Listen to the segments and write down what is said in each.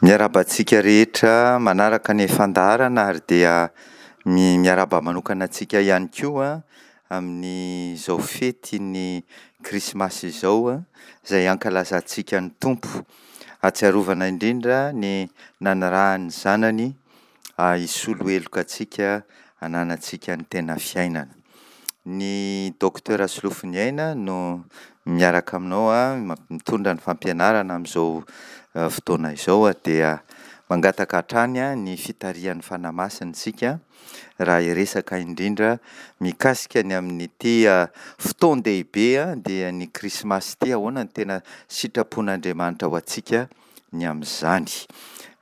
Miarahaba antsika rehetra manaraka ny fandaharana ary dia miarahaba manokana antsika ihany koa amin'izao fetin'ny krismasy izao izay ankalazantsika ny Tompo. Ahatsiarovana indrindra ny nanirahan'ny zanany hisolo heloka antsika hananantsika ny tena fiainana. Ny Docteur Solofoniaina no miaraka aminao mitondra ny fampianarana amin'izao fotoana izao dia mangataka hatrany ny fitarihan'ny Fanahy Masina isika raha hiresaka indrindra mikasika ny amin'ity fotoan-dehibe dia ny krismasy ity, ahoana ny tena sitrapon'Andriamanitra ho antsika ny amin'izany.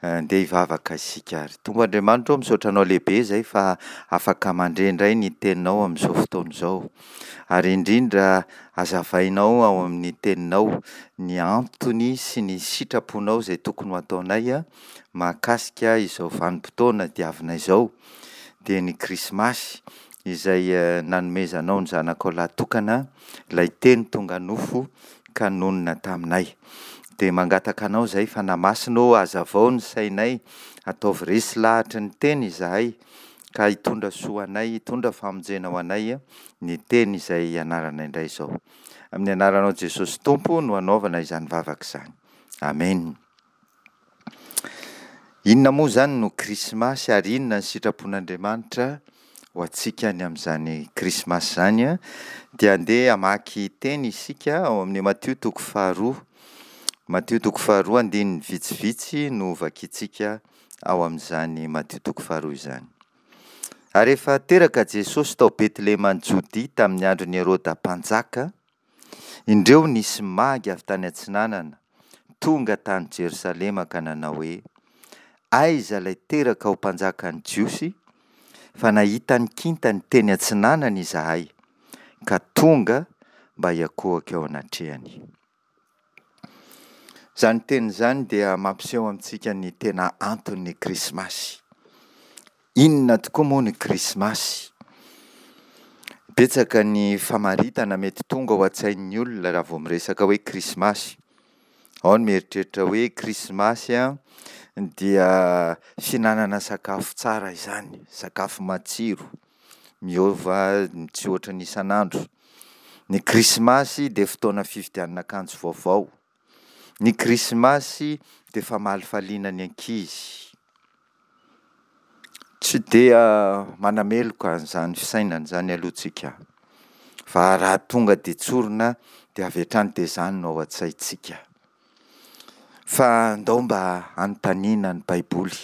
Andeha hivavaka isika ary. Tompo Andriamanitra ô, misaotra Anao lehibe izay fa afaka mandre indray ny Teninao amin'izao fotoana izao. Ary indrindra hazavainao ao amin'ny Teninao ny antony sy ny sitraponao izay tokony ho ataonay mahakasika izao vanim-potoana diavina izao, dia ny Krismasy izay nanomezanao ny Zanakao lahy tokana, ilay Teny tonga nofo ka nonina taminay. Dia mangataka Anao izahay Fanahy Masina ô, hazavao ny sainay, ataovy resy lahatry ny Teny izahay, ka hitondra soa anay, hitondra famonjena ho anay ny Teny izay ianaranay indray izao. Amin'ny anaranao Jesosy Tompo no anaovana izany vavaka izany. Amen. Inona moa izany no Krismasy ary inona ny sitrapon'Andriamanitra ho antsika ny amin'izany Krismasy izany? Dia andeha hamaky teny isika ao amin'ny Matio toko faharoa. Matio toko faharoa andininy vitsivitsy no vakintsika ao amin'izany Matio toko faharoa izany. Ary efa teraka Jesosy tao Betlehema any Jodia tamin'ny andron'i Heroda mpanjaka, Indreo nisy magy avy tany atsinanana tonga tany Jerosalema ka nanao hoe, Aiza ilay teraka ho mpanjakan'ny Jiosy? Fa nahita ny kintany teny atsinanana izahay, ka tonga mba hiankohoka eo anatrehany. Izany teny izany dia mampiseho amintsika ny tena anton'ny Krismasy. Inona tokoa moa ny Krismasy? Betsaka ny famaritana mety tonga ao an-tsain'ny olona raha vao miresaka hoe Krismasy. Ao ny mieritreritra hoe Krismasy dia fihinanana sakafo tsara izany, sakafo matsiro, miova tsy ohatran'ny isan'andro. Ny Krismasy dia fotoana fividianana akanjo vaovao. Ny krismasy dia famalifaliana ny ankizy. Tsy dia manameloka an'izany fisainana izany aloha tsika fa raha tonga dia tsorina dia avy hatrany dia izany no ao an-tsaintsika. Fa ndao mba hanontaniana ny baiboly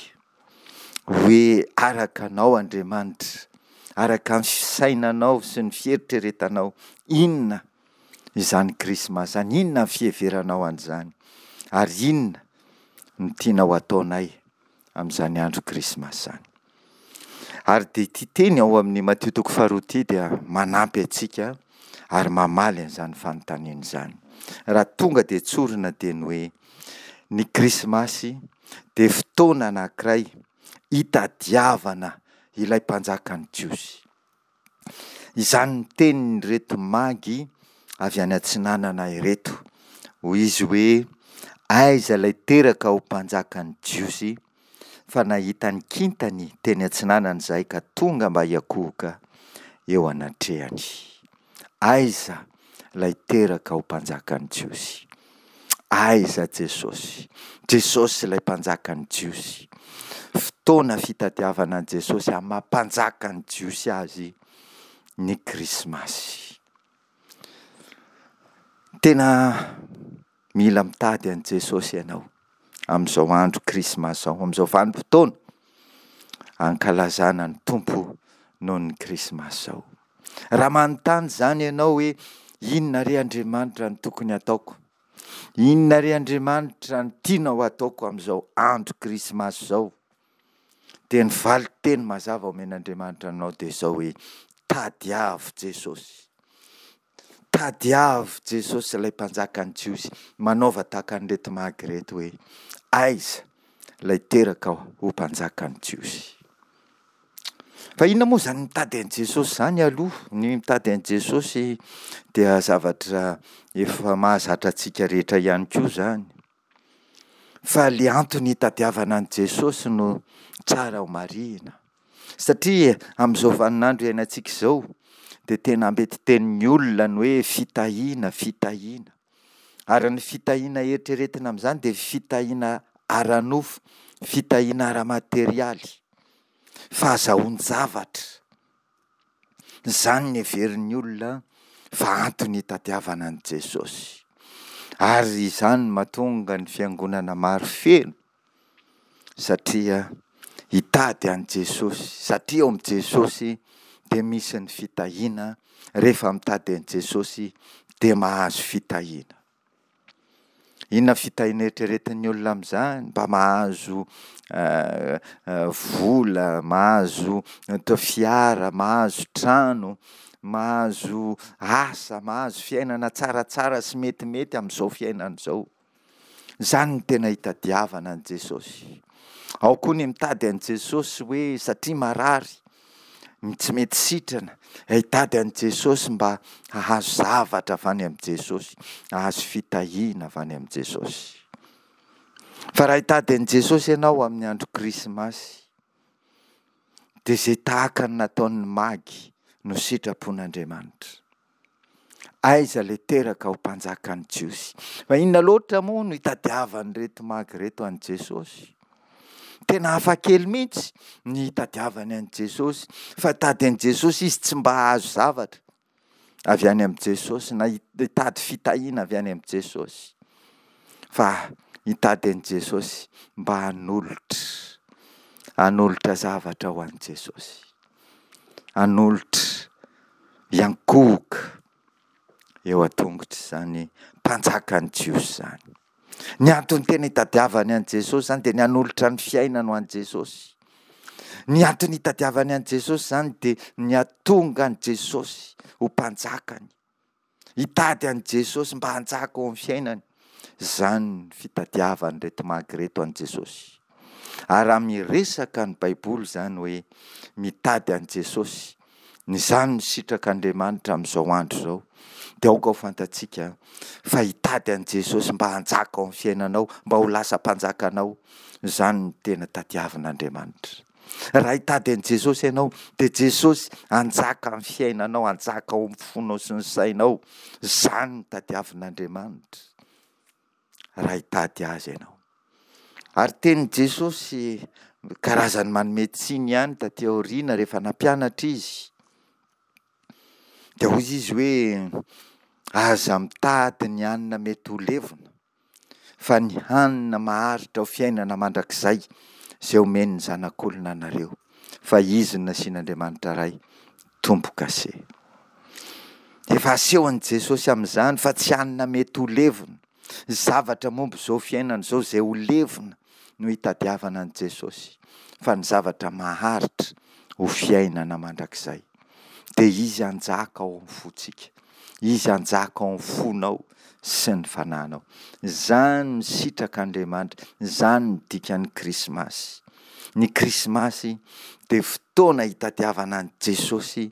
hoe araka anao Andriamanitra, araka ny fisainanao sy ny fieritreretanao inona izany krismasy izany, inona ny fiheveranao an'izany ary inona no tianao ataonay amin'izany andro krismasy izany. Ary dia ity teny ao amin'ny Matio toko faharoa ity dia manampy antsika ary mamaly an'izany fanontaniana izany. Raha tonga dia tsorina dia ny hoe ny krismasy dia fotoana anankiray hitadiavana ilay mpanjakan'ny Jiosy. Izany ny tenin'ireto magy avy any atsinanana ireto. Hoy izy hoe, Aiza ilay teraka ho mpanjakan'ny Jiosy? Fa nahita ny kintany teny atsinanana izahay ka tonga mba hiankohoka eo anatrehany. Aiza ilay teraka ho mpanjakan'ny Jiosy? Aiza Jesosy? Jesosy ilay mpanjakan'ny Jiosy. Fotoana fitadiavana an'i Jesosy amin'ny maha mpanjakan'ny Jiosy azy ny Krismasy. Tena mila mitady an'i Jesosy ianao amin'izao andro Krismasy izao, amin'izao vanim-potoana ankalazana ny Tompo noho ny Krismasy izao. Raha manontany izany ianao hoe inona re Andriamanitra no tokony hataoko? Inona re Andriamanitra no tianao hataoko amin'izao andro Krismasy izao? Dia ny valin-teny mazava omen'Andriamanitra anao dia izao hoe tadiavo Jesosy. Tadiavo Jesosy ilay mpanjakan'ny Jiosy. Manaova tahaka an'ireto magy ireto hoe aiza ilay teraka ho mpanjakan'ny Jiosy. Fa inona moa izany mitady an'i Jesosy izany aloha? Ny mitady an'i Jesosy dia zavatra efa mahazatra antsika rehetra ihany koa izany. Fa le antony hitadiavana an'i Jesosy no tsara ho marihina. Satria amin'izao vaninandro iainantsika izao dia tena ambetitenin'ny olona ny hoe fitahiana, fitahiana. Ary ny fitahiana eritreretina amin'izany dia fitahiana ara-nofo, fitahiana ara-materialy, fahazahoan-javatra. Izany no heverin'ny olona fa antony hitadiavana an'i Jesosy. Ary izany no mahatonga ny fiangonana maro feno satria hitady an'i Jesosy, satria ao amin'i Jesosy dia misy ny fitahiana, rehefa mitady an'i Jesosy dia mahazo fitahiana. Inona fitahiana eritreretin'ny olona amin'izany? Mba mahazo vola, mahazo fiara, mahazo trano, mahazo asa, mahazo fiainana tsaratsara sy metimety amin'izao fiainana izao. Izany no tena itadiavana an'i Jesosy. Ao koa ny mitady an'i Jesosy hoe satria marary, ny tsy mety sitrana, hitady an'i Jesosy mba hahazo zavatra avy any amin'i Jesosy, hahazo fitahiana avy any amin'i Jesosy. Fa raha hitady an'i Jesosy ianao amin'ny andro Krismasy, dia izay tahaka ny nataon'ny magy no sitrapon'Andriamanitra. Aiza ilay teraka ho mpanjakan'ny Jiosy? Fa inona loatra moa no itadiavan'ireto magy ireto an'i Jesosy? Tena hafakely mihitsy ny itadiavany an'i Jesosy. Fa hitady an'i Jesosy izy tsy mba hahazo zavatra avy any amin'i Jesosy na hitady fitahiana avy any amin'i Jesosy. Fa hitady an'i Jesosy mba hanolotra, hanolotra zavatra ho an'i Jesosy. Hanolotra hiankohoka eo an-tongotr'izany mpanjakan'ny Jiosy izany. Ny antony tena itadiavany an'i Jesosy izany dia ny hanolotra ny fiainany ho an'i Jesosy. Ny antony itadiavany an'i Jesosy izany dia ny hahatonga an'i Jesosy ho mpanjakany. Hitady an'i Jesosy mba hanjaka ao amin'ny fiainany. Izany ny fitadiavan'ireto magy ireto an'i Jesosy. Ary raha miresaka ny Baiboly izany hoe mitady an'i Jesosy, ny izany no sitrak'Andriamanitra amin'izao andro izao, dia aoka ho fantatsika fa hitady an'i Jesosy mba hanjaka ao amin'ny fiainanao, mba ho lasa mpanjakanao, izany no tena tadiavin'Andriamanitra. Raha hitady an'i Jesosy ianao, dia Jesosy hanjaka amin'ny fiainanao, hanjaka ao amin'ny fonao sy ny sainao. Izany no tadiavin'Andriamanitra raha hitady Azy ianao. Ary tenin'i Jesosy karazany manome tsiny ihany taty aoriana rehefa nampianatra Izy. Dia hoy Izy hoe, aza mitady ny hanina mety ho levona. fa ny hanina maharitra ho fiainana mandrakizay izay omen'ny Zanak'olona anareo, fa Izy no nasian'Andriamanitra Ray tombo-kase. Efa asehon'i Jesosy amin'izany fa tsy hanina mety ho levona, zavatra momba izao fiainana izao izay ho levona no hitadiavana an'i Jesosy, fa ny zavatra maharitra ho fiainana mandrakizay. Dia Izy hanjaka ao amin'ny fontsika. Izy hanjaka ao amin'ny fonao sy ny fanahinao. Izany no sitrak'Andriamanitra, izany no dikan'ny Krismasy. Ny Krismasy dia fotoana hitadiavana an'i Jesosy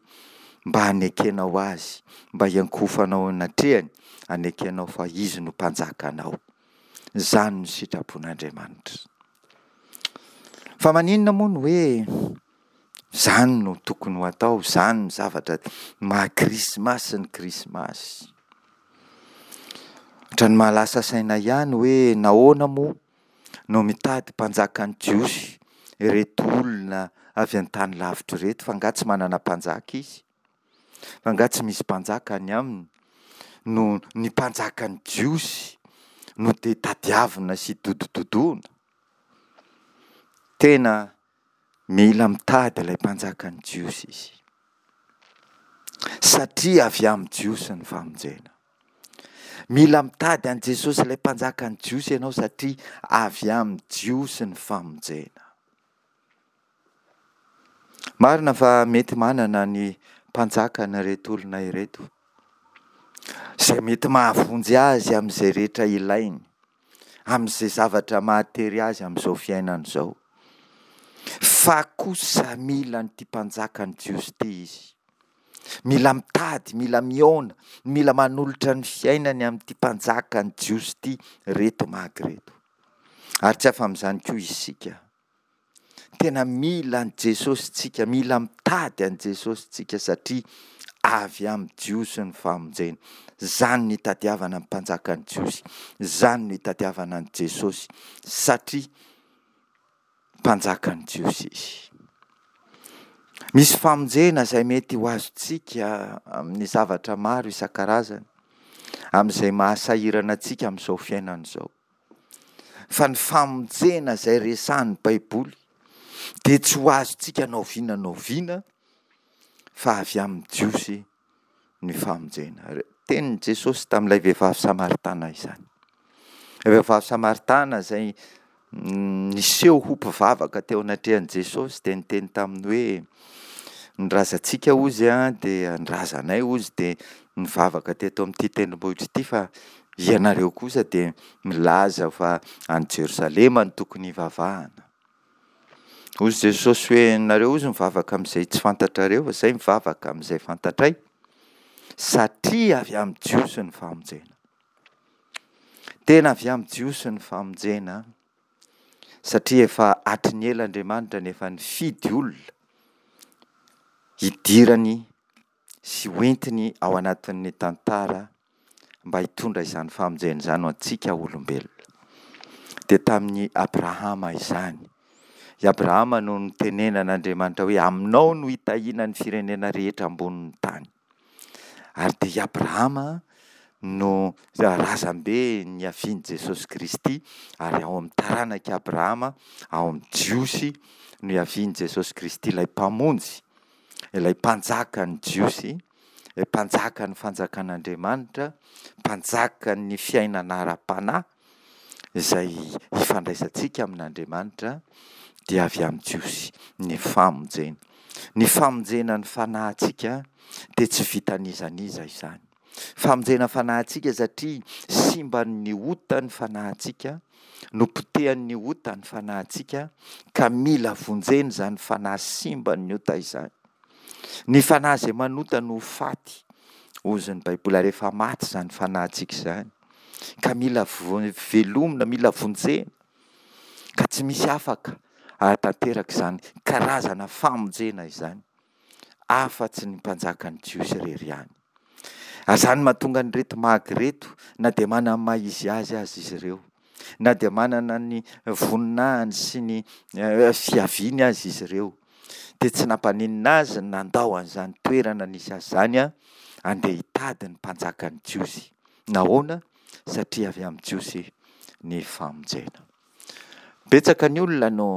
mba hanekenao Azy, mba hiankohofanao eo anatrehany, hanekenao fa Izy no Mpanjakanao. Izany no sitrapon'Andriamanitra. Fa maninona moa no hoe Izany no tokony ho atao, izany no zavatra maha krismasy ny krismasy. Ohatran'ny mahalasa saina ihany hoe nahoana moa no mitady mpanjakan'ny Jiosy ireto olona avy an-tany lavitra ireto fa angaha tsy manana mpanjaka izy? Fa angaha tsy misy mpanjaka any aminy no ny mpanjakan'ny Jiosy no dia tadiavina sy dodododoana? Tena Mila mitady ilay mpanjakan'ny Jiosy izy. Satria avy amin'ny Jiosy ny famonjena. Mila mitady an'i Jesosy ilay mpanjakan'ny Jiosy ianao satria avy amin'ny Jiosy ny famonjena. Marina fa mety manana ny mpanjakany ireto olona ireto. Izay mety mahavonjy azy amin'izay rehetra ilainy. amin'izay zavatra mahatery azy amin'izao fiainana izao. Fa kosa mila an'ity mpanjakan'ny Jiosy ity izy. Mila mitady, mila mihaona, mila manolotra ny fiainany amin'ity mpanjakan'ny Jiosy ity reto magy reto. Ary tsy afa-amin'izany koa isika. Tena mila an'i Jesosy tsika, mila mitady an'i Jesosy tsika satria avy amin'ny Jiosy ny famonjena. Izany no itadiavana ny mpanjakan'ny Jiosy, izany no itadiavana an'i Jesosy satria mpanjakan'ny Jiosy izy. Misy famonjena izay mety ho azontsika amin'ny zavatra maro isan-karazany, amin'izay mahasahirana antsika amin'izao fiainana izao. Fa ny famonjena izay resahin'ny Baiboly dia tsy ho azontsika na oviana na oviana fa avy amin'ny Jiosy ny famonjena. Tenin'i Jesosy tamin'ilay vehivavy samaritana izany. Ilay vehivavy samaritana izay niseho ho mpivavaka teo anatrehan'i Jesosy dia niteny taminy hoe ny razantsika hozy dia ny razanay hozy dia nivavaka teto amin'ity tendrombohitra ity fa ianareo kosa dia milaza fa any Jerosalema no tokony hivavahana. Hozy Jesosy hoe nareo hozy mivavaka amin'izay tsy fantatrareo fa izay mivavaka amin'izay fantatray satria avy amin'ny Jiosy ny famonjena. Tena avy amin'ny Jiosy ny famonjena satria efa hatry ny ela Andriamanitra no efa nifidy olona hidirany sy hoentiny ao anatin'ny tantara mba hitondra izany famonjena izany ho antsika olombelona. Dia tamin'i Abrahama izany. I Abrahama no nitenenan'Andriamanitra hoe aminao no hitahiana ny firenena rehetra ambonin'ny tany. Ary dia i Abrahama no razambe niavian'i Jesosy Kristy, ary ao amin'ny taranak'i Abrahama, ao amin'ny Jiosy no iavian'i Jesosy Kristy, ilay Mpamonjy, ilay Mpanjakan'ny Jiosy, ilay Mpanjakan'ny Fanjakan'Andriamanitra, Mpanjakan'ny fiainana ara-panahy, izay ifandraisantsika amin'Andriamanitra dia avy amin'ny Jiosy ny famonjena. Ny famonjena ny fanahintsika dia tsy vitan'iza n'iza izany. Famonjena fanahintsika satria simban'ny ota ny fanahintsika, nopotehan'ny ota ny fanahintsika ka mila vonjena izany fanahy simban'ny ota izany. Ny fanahy izay manota no ho faty, hozy ny Baiboly, ary efa maty izany fanahintsika izany. Ka mila velomina, mila vonjena, ka tsy misy afaka hahatanteraka izany karazana famonjena izany afa-tsy ny mpanjakan'ny Jiosy irery ihany. Ary izany mahatonga an'ireto magy ireto, na dia manana ny maha izy azy aza izy ireo, na dia manana ny voninahiny sy ny fiaviany aza izy ireo, dia tsy nampaninona azy ny nandao an'izany toerana nisy azy izany handeha hitady ny mpanjakan'ny Jiosy. Nahoana? Satria avy amin'ny Jiosy ny famonjena. Betsaka ny olona no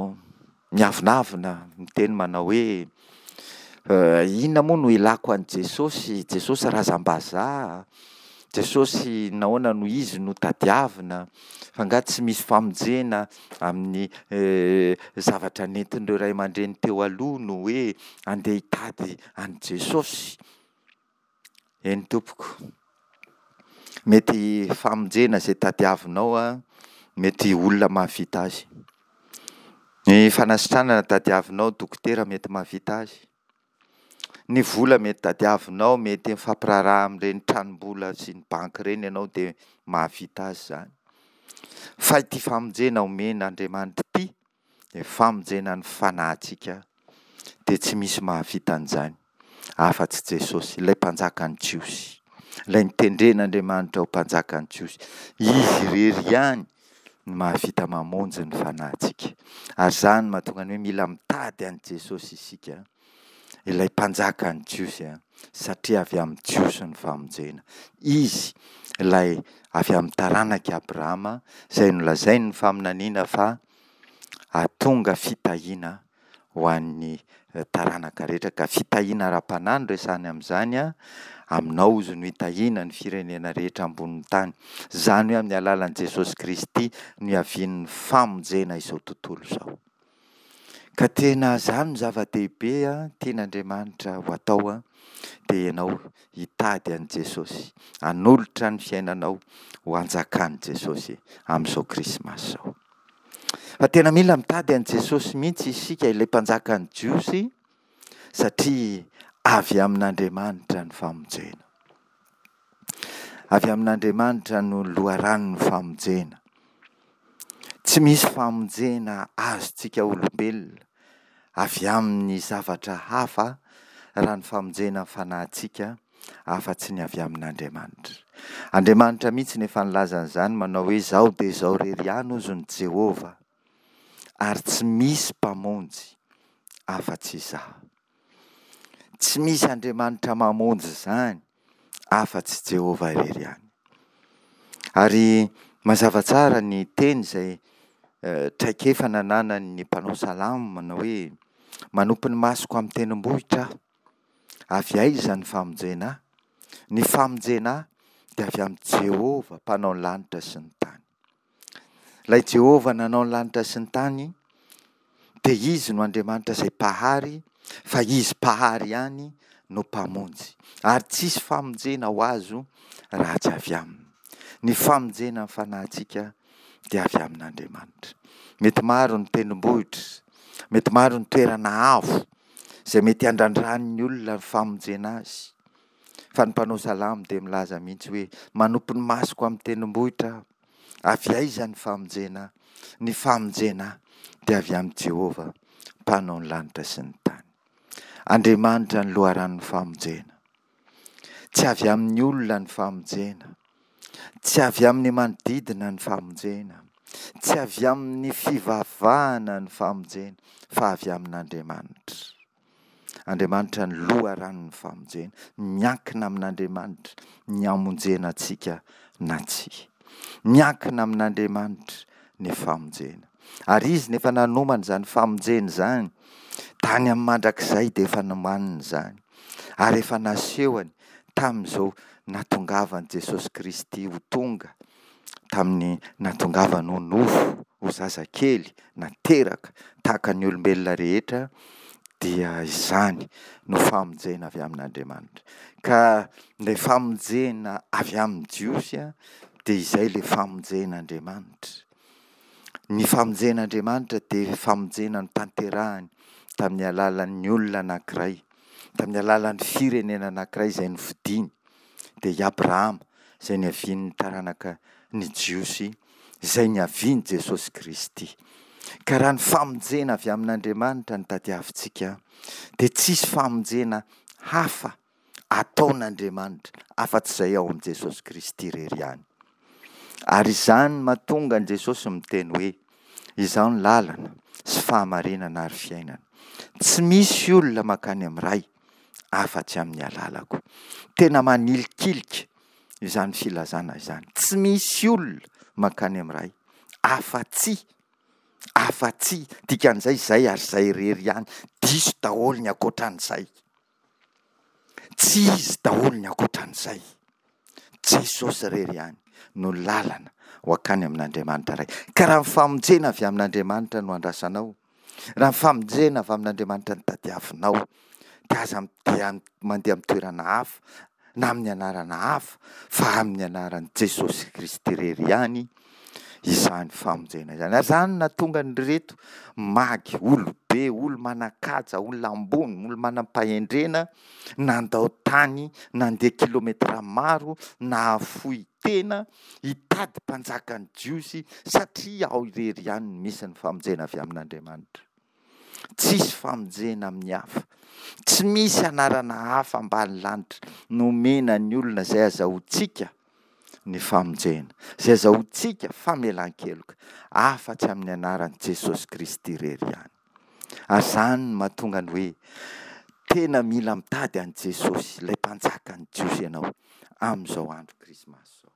miavonavona miteny manao hoe inona moa no ilako an'i Jesosy, Jesosy razam-bazaha, Jesosy nahoana no izy no tadiavina, fa angaha tsy misy famonjena amin'ny zavatra nentin'ireo ray aman-dreny teo aloha no hoe andeha hitady an'i Jesosy. Eny tompoko. Mety famonjena izay tadiavinao an, mety olona mahavita azy. Ny fanasitranana tadiavinao, dokotera mety mahavita azy. Ny vola mety tadiavinao, mety mifampiraharaha amin'ireny tranombola sy ny banky ireny ianao dia mahavita azy izany. Fa ity famonjena omen'Andriamanitra ity Ny famonjena ny fanahintsika dia tsy misy mahavita an'izany afa-tsy Jesosy, ilay Mpanjakan'ny Jiosy, ilay notendren'Andriamanitra ho Mpanjakan'ny Jiosy. Izy irery ihany no mahavita mamonjy ny fanahintsika. Ary izany no mahatonga ny hoe mila mitady an'i Jesosy isika, ilay Mpanjakan'ny Jiosy, satria avy amin'ny Jiosy ny famonjena. Izy ilay avy amin'ny taranak'i Abrahama, izay nolazain'ny faminaniana fa hahatonga fitahiana ho an'ny taranaka rehetra, ka fitahiana ara-panahy no resahany amin'izany, aminao izy no hitahiana ny firenena rehetra ambonin'ny tany. Izany hoe amin'ny alalan'i Jesosy Kristy no hiavian'ny famonjena izao tontolo izao. Ka tena izany no zava-dehibe tian'Andriamanitra ho atao, dia ianao hitady an'i Jesosy, hanolotra ny fiainanao ho hanjakan'i Jesosy amin'izao Krismasy izao. Fa tena mila mitady an'i Jesosy mihitsy isika, ilay Mpanjakan'ny Jiosy, satria avy amin'Andriamanitra ny famonjena. Avy amin'Andriamanitra no loharanon'ny famonjena. Tsy misy famonjena azontsika olombelona avy amin'ny zavatra hafa raha ny famonjena ny fanahintsika afa-tsy ny avy amin'Andriamanitra. Andriamanitra mihitsy no efa nilaza an'izany manao hoe izaho dia izaho irery ihany hozy ny Jehovah ary tsy misy mpamonjy afa-tsy izaho. Tsy misy Andriamanitra mamonjy izany afa-tsy Jehovah irery ihany. Ary mazava tsara ny teny izay traikefa nananan'ny mpanao salamo manao hoe manopy ny masoko amin'ny tendrombohitra aho. Avy aiza ny famonjena ahy? Ny famonjena ahy dia avy amin'i Jehovah mpanao ny lanitra sy ny tany. Ilay Jehovah nanao ny lanitra sy ny tany dia Izy no Andriamanitra izay Mpahary, fa Izy Mpahary ihany no Mpamonjy. Ary tsisy famonjena ho azo raha tsy avy Aminy. Ny famonjena ny fanahintsika dia avy amin'Andriamanitra. Mety maro ny tendrombohitra, mety maro ny toerana avo izay mety handrandran'ny olona ny famonjena azy. Fa ny mpanao salamo dia milaza mihitsy hoe, Manopy ny masoko amin'ny tendrombohitra aho. Avy aiza ny famonjena ahy? Ny famonjena ahy dia avy amin'i Jehovah, Mpanao ny lanitra sy ny tany. Andriamanitra ny loharanon'ny famonjena. Tsy avy amin'ny olona ny famonjena. Tsy avy amin'ny manodidina ny famonjena. Tsy avy amin'ny fivavahana ny famonjena, fa avy amin'Andriamanitra. Andriamanitra ny loharanon'ny famonjena. Miankina amin'Andriamanitra ny hamonjena antsika na tsia. Miankina amin'Andriamanitra ny famonjena. Ary Izy no efa nanomana izany famonjena izany. Tany amin'ny mandrakizay dia efa nomaniny izany. Ary efa nasehony tamin'izao nahatongavan'i Jesosy Kristy ho tonga tamin'ny nahatongavany ho nofo, ho zazakely, nateraka tahaka ny olombelona rehetra, dia izany no famonjena avy amin'Andriamanitra. Ka ilay famonjena avy amin'ny Jiosy dia izay ilay famonjen'Andriamanitra. Ny famonjen'Andriamanitra dia famonjena notanterahany tamin'ny alalan'ny olona anankiray, tamin'ny alalan'ny firenena anankiray izay nofidiny. dia i Abrahama izay niavian'ny taranaka ny Jiosy, izay niavian'i Jesosy Kristy. Ka raha ny famonjena avy amin'Andriamanitra no tadiavintsika, dia tsisy famonjena hafa ataon'Andriamanitra afa-tsy izay ao amin'i Jesosy Kristy irery ihany. Ary izany no mahatonga an'i Jesosy miteny hoe, Izaho ny lalana sy fahamarinana ary fiainana. Tsy misy olona mankany amin'ny Ray afa-tsy amin'ny alalako. Tena manilikilika izany filazana izany. Tsy misy olona mankany amin'ny Ray afa-tsy, afa-tsy, dikan'izay izay ary izay irery ihany, diso daholo ny ankoatran'izay. Tsy izy daholo ny ankoatran'izay. Jesosy irery ihany no lalana ho akany amin'Andriamanitra Ray. Ka raha ny famonjena avy amin'Andriamanitra no andrasanao, Raha ny famonjena avy amin'Andriamanitra no tadiavinao, dia aza dia mandeha amin'ny toerana hafa na amin'ny anarana hafa fa amin'ny anaran'i Jesosy Kristy irery ihany izany famonjena izany. Ary izany no nahatonga an'ireto magy, olobe, olo-manan-kaja, olona ambony, olo-manam-pahendrena nandao tany, nandeha kilometatra maro, nahafoy tena hitady mpanjakan'ny Jiosy satria ao irery ihany no misy ny famonjena avy amin'Andriamanitra. Tsisy famonjena amin'ny hafa. Tsy misy anarana hafa ambany lanitra nomena ny olona izay azahoantsika ny famonjena, izay azahoantsika famelan-keloka, afa-tsy amin'ny anaran'i Jesosy Kristy irery ihany. Ary izany no mahatonga ny hoe tena mila mitady an'i Jesosy, ilay mpanjakan'ny Jiosy ianao amin'izao andro Krismasy izao.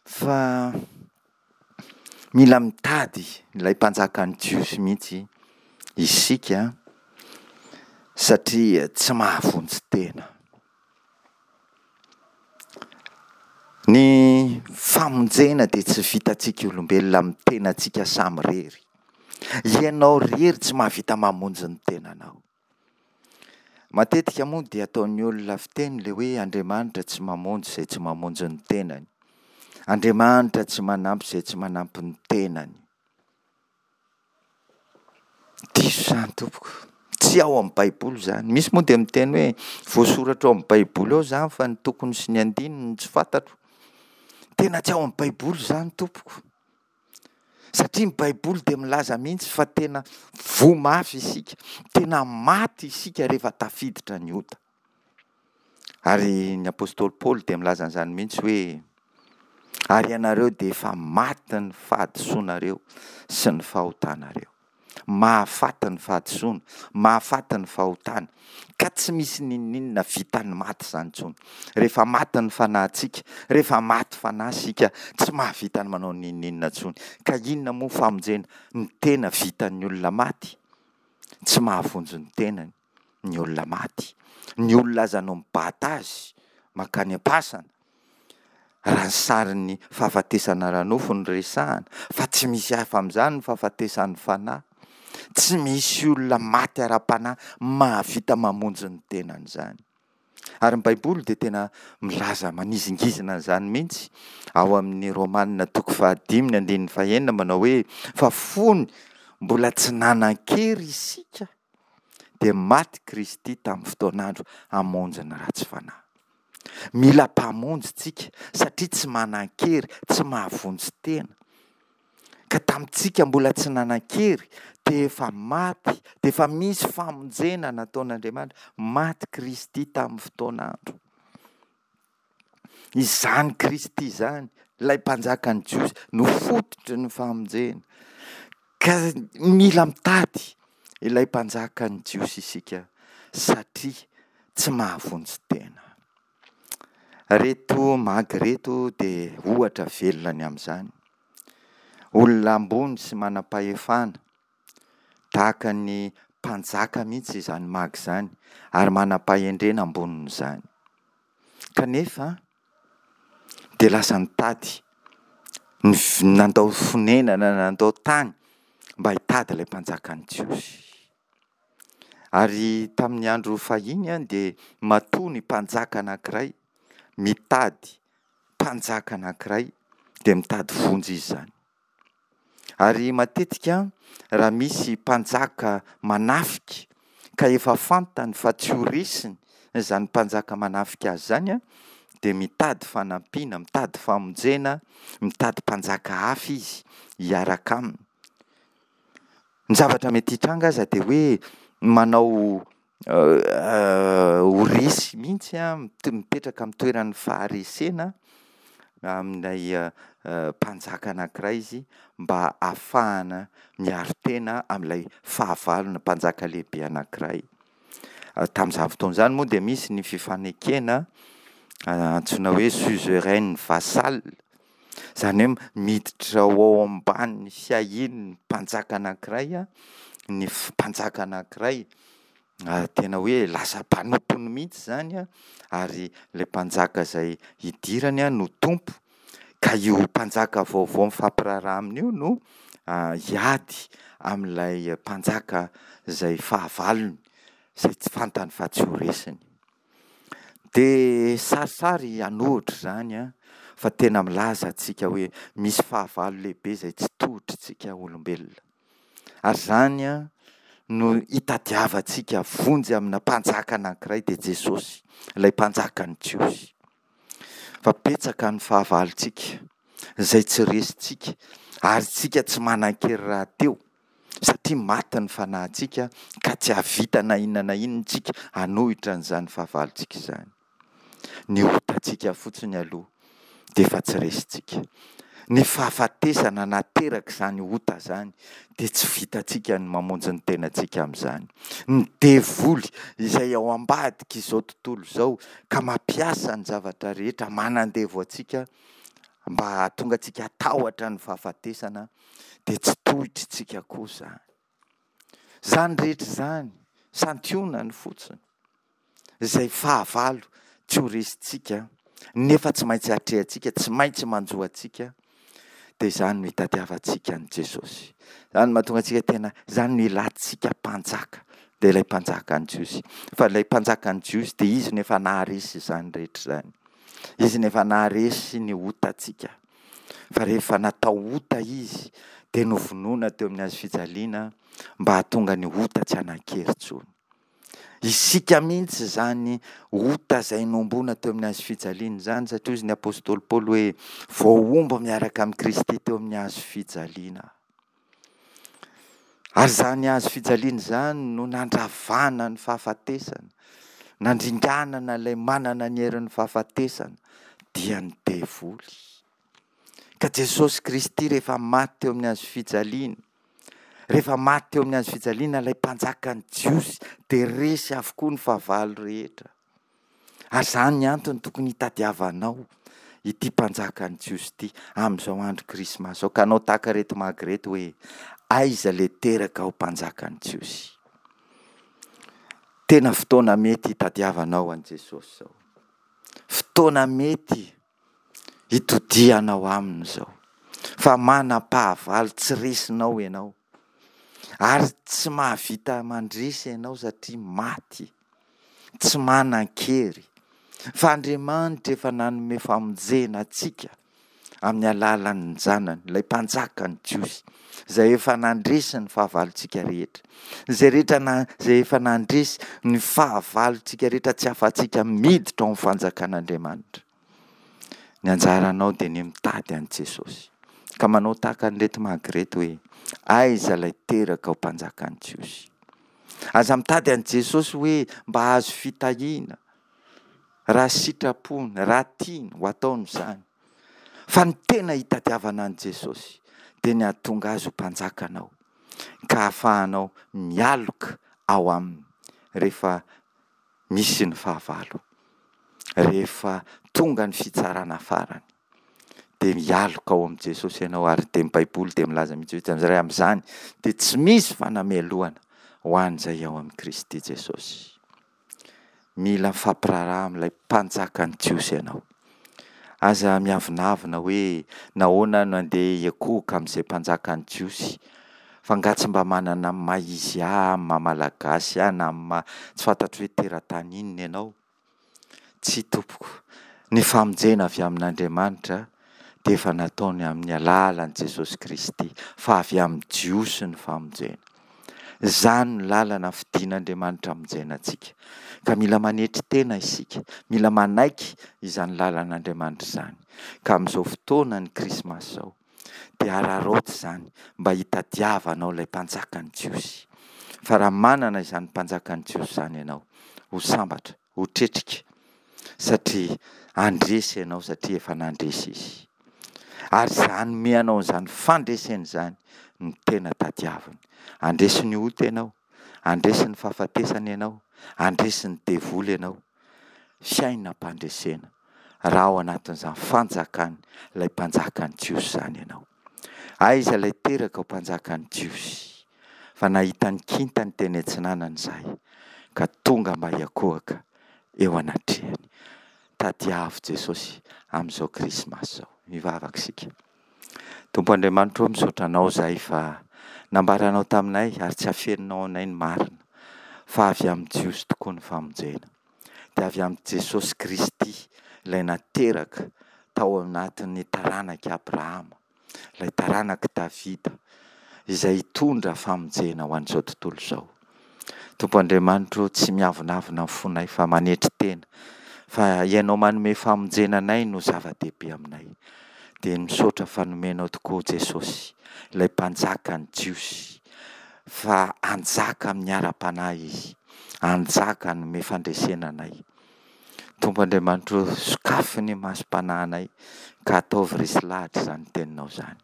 Fa mila mitady ilay mpanjakan'ny Jiosy mihitsy isika satria tsy mahavonjy tena. Ny famonjena dia tsy vitantsika olombelona amin'ny tenantsika samirery. Ianao irery tsy mahavita mamonjy ny tenanao. Matetika moa dia ataon'ny olona fiteny ilay hoe Andriamanitra tsy mamonjy izay tsy mamonjy ny tenany. Andriamanitra tsy manampy izay tsy manampy ny tenany. Diso izany tompoko. Tsy ao amin'ny baiboly izany. Misy moa dia miteny hoe voasoratra ao amin'ny baiboly ao izany fa ny tokony sy ny andininy no tsy fantatro. Tena tsy ao amin'ny baiboly izany tompoko. Satria ny Baiboly dia milaza mihitsy fa tena voa mafy isika, tena maty isika rehefa tafiditra ny ota. Ary ny apostoly Paoly dia milaza an'izany mihitsy hoe, ary ianareo dia efa maty ny fahadisoanareo sy ny fahotanareo. Mahafaty ny fahadisoana, mahafaty ny fahotana, ka tsy misy n'inon'inona vitan'ny maty izany intsony. Rehefa maty ny fanahintsika, rehefa maty fanahy isika, tsy mahavita ny manao n'inon'inona intsony. Ka inona moa famonjena ny tena vitan'ny olona maty? Tsy mahavonjy ny tenany ny olona maty. Ny olona aza no mibata azy mankany am-pasana. Raha ny sarin'ny fahafatesana ara-nofo no resahana, fa tsy misy hafa amin'izany ny fahafatesan'ny fanahy. Tsy misy olona maty ara-panahy mahavita mamonjy ny tenany izany. Ary ny Baiboly dia tena milaza manizingizina an'izany mihitsy ao amin'ny Romana toko fahadimy ny andininy fahenina manao hoe fa fony mbola tsy nanan-kery isika dia maty Kristy tamin'ny fotoan'andro hamonjy ny ratsy fanahy. Mila mpamonjy tsika satria tsy manan-kery, tsy mahavonjy tena. Ka tamintsika mbola tsy nanan-kery dia efa maty, dia efa misy famonjena nataon'Andriamanitra, maty Kristy tamin'ny fotoan'andro. Izany Kristy izany, ilay mpanjakan'ny Jiosy, no fototry ny famonjena. Ka mila mitady ilay mpanjakan'ny Jiosy isika satria tsy mahavonjy tena. Reto magy reto dia ohatra velona ny amin'izany. Olona ambony sy manam-pahefana, tahaka ny mpanjaka mihitsy izany magy izany ary manam-pahendrena ambonin'izany. Kanefa dia lasa nitady, nandao fonenana, nandao tany mba hitady ilay mpanjakan'ny Jiosy. Ary tamin'ny andro fahiny dia matoa ny mpanjaka anankiray mitady mpanjaka anankiray dia mitady vonjy izy izany. Ary matetika raha misy mpanjaka manafika ka efa fantany fa tsy ho resiny izany mpanjaka manafika azy izany dia mitady fanampiana, mitady famonjena, mitady mpanjaka hafa izy hiaraka aminy. Ny zavatra mety hitranga aza dia hoe manao ho resy mihitsy mipetraka amin'ny toeran'ny faharesena amin'ilay mpanjaka anankiray izy mba hahafahana miaro tena amin'ilay fahavalona mpanjaka lehibe anankiray. Tamin'izany fotoana izany moa dia misy ny fifanekena antsoina hoe suzerain vassal, izany hoe miditra ho ao ambanin'ny fiahian'ny mpanjaka anankiray ny mpanjaka anankiray, tena hoe lasa mpanompony mihitsy izany ary ilay mpanjaka izay idirany no tompo, ka io mpanjaka vaovao mifampiraharaha aminy io no hiady amin'ilay mpanjaka izay fahavalony, izay tsy fantany fa tsy ho resiny. Dia sarisary hanohitra izany an, fa tena milaza antsika hoe misy fahavalo lehibe izay tsy tohitr'tsika olombelona. Ary izany an, no hitadiavantsika vonjy amina mpanjaka anankiray dia Jesosy, ilay mpanjakan'ny Jiosy. Fa betsaka ny fahavalontsika izay tsy resintsika ary tsika tsy manan-kery rahateo satria maty ny fanahintsika ka tsy hahavita na inona na inona isika hanohitra an'izany fahavalontsika izany. Ny otantsika fotsiny aloha dia efa tsy resintsika. Ny fahafatesana naterak'izany ota izany dia tsy vitantsika ny mamonjy ny tenantsika amin'izany. Ny devoly izay ao ambadik'izao tontolo izao ka mampiasa ny zavatra rehetra manandevo antsika mba hahatonga antsika hatahotra ny fahafatesana dia tsy tohitritsika koa izany. Izany rehetra izany, santionany fotsiny, izay fahavalo tsy ho resintsika nefa tsy maintsy atrehantsika, tsy maintsy manjo antsika, dia izany no itadiavantsika an'i Jesosy. Izany no mahatonga antsika tena, izany no ilantsika mpanjaka, dia ilay mpanjakan'ny Jiosy. Fa ilay mpanjakan'ny Jiosy dia izy no efa naharesy izany rehetra izany. Izy no efa naharesy ny otantsika. Fa rehefa natao ota izy dia novonoina teo amin'ny hazo fijaliana mba hahatonga ny ota tsy hanan-kery intsony. Isika mihitsy izany ota izay nohomboana teo amin'ny hazo fijaliana izany satria hozy ny apostoly Paoly hoe voahombo miaraka amin'i Kristy teo amin'ny hazo fijaliana. Ary izany hazo fijaliana izany no nandravana ny fahafatesana, nandringanana ilay manana ny herin'ny fahafatesana, dia ny devoly. Ka Jesosy Kristy rehefa maty teo amin'ny hazo fijaliana, rehefa maty teo amin'ny hazo fijaliana ilay mpanjakan'ny Jiosy, dia resy avokoa ny fahavalo rehetra. Ary izany ny antony tokony hitadiavanao ity mpanjakan'ny Jiosy ity amin'izao andro Krismasy izao. Ka anao tahaka ireto magy ireto hoe, aiza ilay teraka ho mpanjakan'ny Jiosy? Tena fotoana mety hitadiavanao an'i Jesosy izao. Fotoana mety hitodihanao aminy izao. Fa manam-pahavalo tsy resinao ianao. Ary tsy mahavita mandresy ianao satria maty. Tsy manan-kery. Fa Andriamanitra efa nanome famonjena antsika amin'ny alalan'ny Zanany, ilay Mpanjakan'ny Jiosy, izay efa nandresy ny fahavalontsika rehetra. Izay rehetra na, izay efa nandresy ny fahavalontsika rehetra tsy afatsika miditra ao amin'ny fanjakan'Andriamanitra. Ny anjaranao dia ny mitady an'i Jesosy. Ka manao tahaka an'ireto magy ireto hoe, aiza ilay teraka ho mpanjakan'ny Jiosy? Aza mitady an'i Jesosy hoe mba hahazo fitahiana, raha sitrapony, raha tiany, ho ataony izany. Fa ny tena hitadiavana an'i Jesosy dia ny hahatonga Azy ho mpanjakanao, ka hahafahanao mialoka ao Aminy rehefa misy ny fahavalo, rehefa tonga ny fitsarana farany. Dia mialoka ao amin'i Jesosy ianao, ary dia ny Baiboly dia milaza mihitsy hoe amin'izay amin'izany dia tsy misy fanamelohana ho an'izay ao amin'i Kristy Jesosy. Mila mifampiraharaha amin'ilay mpanjakan'ny Jiosy ianao. Aza miavonavona hoe nahoana no andeha hiankohoka amin'izay mpanjakan'ny Jiosy, fa angaha tsy mba manana ny maha izy ahy, amin'ny maha Malagasy ahy, na amin'ny maha tsy fantatro hoe teratany inona ianao. Tsia tompoko, ny famonjena avy amin'Andriamanitra dia efa nataony amin'ny alalan'i Jesosy Kristy, fa avy amin'ny Jiosy ny famonjena. Izany no lalana fidin'Andriamanitra hamonjena antsika. Ka mila manetry tena isika, mila manaiky izany lalan'Andriamanitra izany. Ka amin'izao fotoanan'ny Krismasy izao, dia araraoty izany mba hitadiavanao ilay Mpanjakan'ny Jiosy. Fa raha manana izany Mpanjakan'ny Jiosy izany ianao, ho sambatra, ho tretrika, satria handresy ianao satria efa nandresy Izy. Ary izay hanome anao an'izany fandresena izany no tena tadiaviny. Handresy ny ota ianao, handresy ny fahafatesana ianao, handresy ny devoly ianao. Fiainam-pandresena raha ao anatin'izany fanjakan' ilay mpanjakan'ny Jiosy izany ianao. Aiza ilay teraka ho mpanjakan'ny Jiosy? Fa nahita ny kintany teny atsinanana izahay, ka tonga mba hiankohoka eo anatrehany. Tadiavo Jesosy amin'izao Krismasy izao. Mivavaka isika. Tompo Andriamanitra ô, misaotra Anao izahay fa nambaranao taminay ary tsy afeninao anay ny marina, fa avy amin'ny Jiosy tokoa ny famonjena. Dia avy amin'i Jesosy Kristy, ilay nateraka tao anatin'ny taranak'i Abrahama. ilay taranak'i Davida, izay hitondra famonjena ho an'izao tontolo izao. Tompo Andriamanitro, tsy miavonavona ny fonay fa manetry tena, fa Ianao manome famonjena anay no zava-dehibe aminay. Dia misaotra fa nomenao tokoa Jesosy, ilay Mpanjakan'ny Jiosy, fa hanjaka amin'ny ara-panahy Izy, hanjaka hanome fandresena anay. Tompo Andriamanitro ô, sokafy ny masom-panahinay ka ataovy resy lahatra izany teninao izany.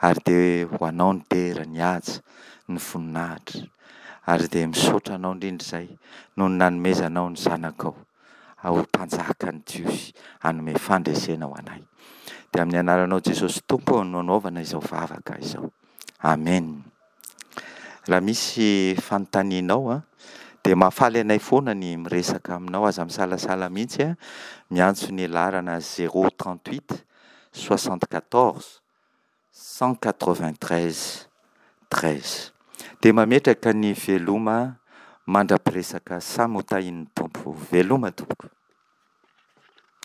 Ary dia ho anao ny dera, ny haja, ny voninahitra. Ary dia misaotra anao indrindra izay noho ny nanomezanao ny zanakao ho mpanjakan'ny Jiosy hanome fandresena ho anay. Dia amin'ny anaranao Jesosy Tompo no anaovana izao vavaka izao. Amen. Raha misy fanontanianao an, dia mahafaly anay foana ny miresaka aminao, aza misalasala mihitsy an, miantso ny laharana 038 74 193 13. Dia mametraka ny veloma mandra-piresaka samy ho tahian'ny Tompo. Veloma tompoko.